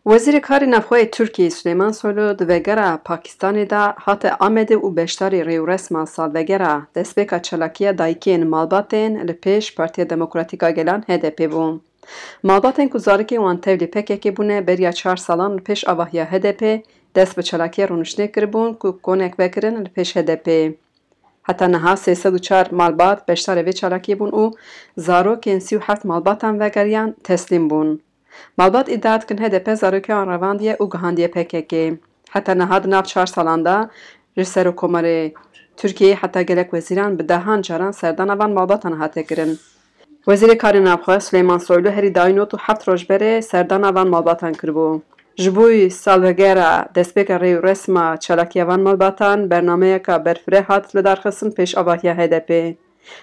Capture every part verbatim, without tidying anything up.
Wezîrê Karê Navxwe yê Tirkiyeyê Suleyman Soylu di vegera Pakistanê de hate Amedê û beşdarî rêûresma salvegera destpêka çalakiya dayikên malbatên li pêş Partiya Demokratîk a Gelan H D P bû. Malbatên ku zarokên wan tevlî P K K bûne beriya çar salan li pêş avahiya H D P dest bi çalakiya rûniştinê kiribûn ku konek vekirin li pêş H D P. Heta niha sê sed û çar malbat beşdarê vê çalakiyê bûn û zarokên sî û heft malbatan vegeriyan teslîm bûn. Malbat îdia dikin H D P zarokê wan revandiye û gihandiye P K K. Heta niha di nav çar salan de ji Serokkomarê Tirkiyeyê heta gelek wezîran bi dehan caran serdana van malbatan hate kirin. Wezîrê Karê Navxwe Suleyman Soylu herî dawî not û heft roj berê serdana van malbatan kiribû. Ji bo salvegera destpêka rê û resma çalakiya van malbatan bernameyeka berfireh hat lidarxistin pêş avahiya H D P.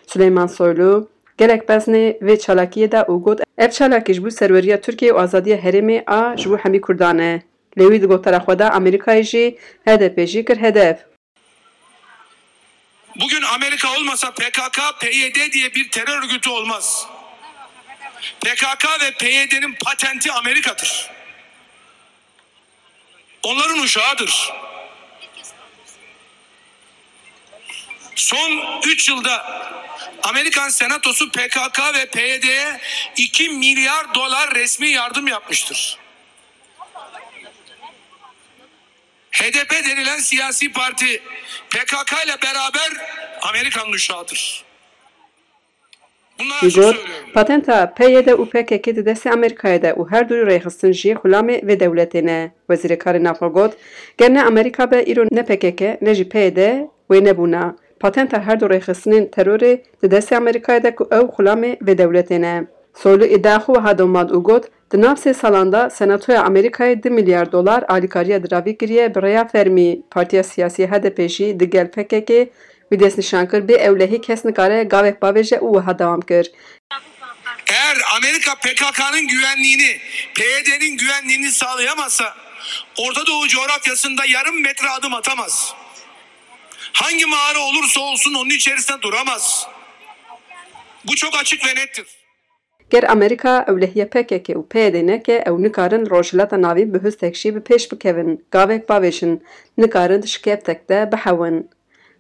Suleyman Soylu gelek beznê vê çalakiyê da û got, ev çalakî ji bo serweriya Tirkiyeyê û azadiya herêmê a ji bo hemî Kurdan e. Lê wî di gotara xwe de Amerîkayê jî H D P jî kir hedef. Bugün Amerika olmasa P K K, P Y D diye bir terör örgütü olmaz. P K K ve P Y D'nin patenti Amerika'dır. Onların uşağıdır. Son üç yılda Amerikan Senatosu P K K ve P Y D'ye iki milyar dolar resmi yardım yapmıştır. H D P denilen siyasi parti P K K ile beraber Amerika'nın uşağıdır. Bunları Wî açık got, söylüyorum. Patenta P Y D û P K K di destê Amerîkayê de û her du rêxistin jî xulamê vê dewletê ne. Wezîrê Karê Navxwe got, ger ne Amerîka be îro ne P K K ne jî P Y D wê nebûna. Patenta her du rêxistinên terorê di destê Amerîkayê de ku ew xulamê vê dewletê ne. Soylu îdia xwe wiha domand û got, di nav sê salan de Senatoya Amerîkayê du milyar dolar alîkariya diravî kiriye bi rêya fermî. Partiya siyasî H D P jî digel P K K wî destnîşan kir, bê ewlehî kes nikare gavek bavêje û wiha dewam kir. Eğer Amerika P K K'nın güvenliğini, P Y D'nin güvenliğini sağlayamazsa Orta Doğu coğrafyasında yarım metre adım atamaz. Hangi mağara olursa olsun onun içerisinde duramaz. Bu çok açık ve nettir. Ger Amerîka ewlehiya P K K û P Y D neke, ew nikarin Rojhilata Navîn bi hustek jî bi pêş bikevin, gavek bavêjin, nikarin di şikeftek de bihewin.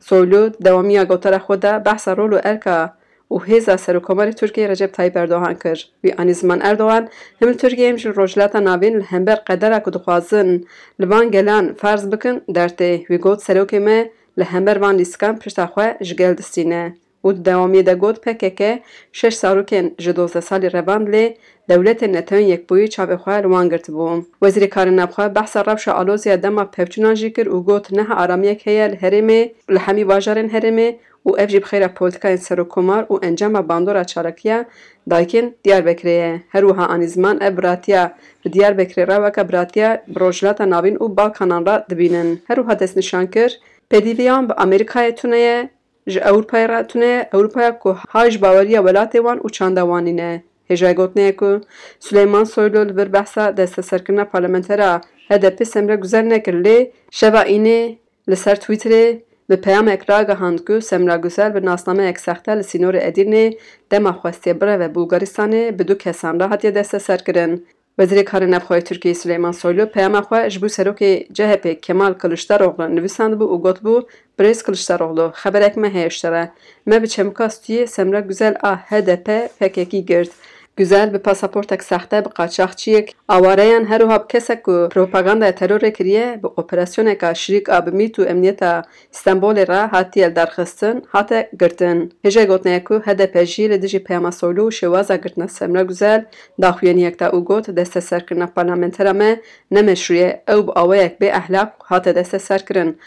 Soylu di dewamiya gotara xwe de behsa rol û erka û hêza Serokkomarê Tirkiyê Recep Tayyip Erdogan kir. Wî anî ziman Erdogan, him li Tirkiyê him jî li Rojhilata Navîn li hember qedera ku dixwazin li van gelan ferz bikin dertê. Wî got, serokê me li hember van lîstikan pişta xwe ji gel distîne. Û di dewamiyê de got, P K K şeş zarokên ji dozdeh salî revand lê dewletên Netewên Yekbûyî çavê xwe li wan girtibû. Wezîrê Karê Navxwe behsa rewşa alozî ya dema pevçûnan jî kir û got, niha aramiyek heye li herêmê, li hemî bajarên herêmê û ev jî bi xêra polîtikayên serokkomar û encama bandora çalakiya dayikên Diyarbekirê ye. Her wiha anî ziman ev biratiya bi Diyarbekirê re weke biratiya bi Rojhilata Navîn û Balkanan re dibînin. Her wiha destnîşan kir, pêdîviyan bi Amerîkayê tune ye, ji Ewropayê re tune ye, Ewropaya ku hay ji baweriya welatê wan û çanda wan nîne. Hêjayê gotinê ye ku Suleyman Soylu li vir behsa desteserkirina parlamentera H D P Semra Guzel nekir, lê şeva înê li ser Twitterê bi peyamek ragihand ku Semra Guzel bi nasnameyek sexte li sînorê Edîrnê dema xwestiye bireve Bulgaristanê bi du kesan re hatiye desteserkirin. Wezîrê Karê Navxwe yê Tirkiyeyê Suleyman Soylu peyama xwe ji bo serokê C H P Kemal Kiliçdaroglu nivîsandibû û gotibû, Birêz Kiliçdaroglu, xeberek me heye ji te re. Me bi çemûka stûyê Semra Guzel a H D P P K K girt. Guzel bi pasaportek sexte, bi qaçaxçiyek, awareyan her wiha bi kesek ku propagandaya terorê kiriye, bi operasyoneka şirîk a bi mît û emniyeta Stenbolê re hatiye lidarxistin, hate girtin. Hêjayê gotinê ye ku H D P jî li dijî peyama Soylu û şêwaza girtina Semra Guzel daxuyaniyek da û got, desteserkirina parlamentera me ne meşrû ye, ew bi awayek bê ehlaq hate desteserkirin.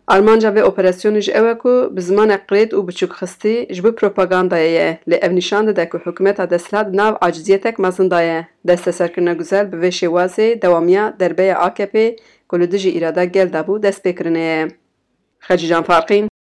Armanca vê operasyonê jî ew e ku bi zimanek qirêt û biçûkxistî ji bo propagandayê ye, lê ev nîşan dide ku hikûmeta desthilat di nav aciziyetek mezin de ye. Desteserkirina Guzel bi vê şêwazê dewamiya derbeya A K P ku li dijî îrada gel dabû destpêkirinê ye. Xecîcan Farqîn.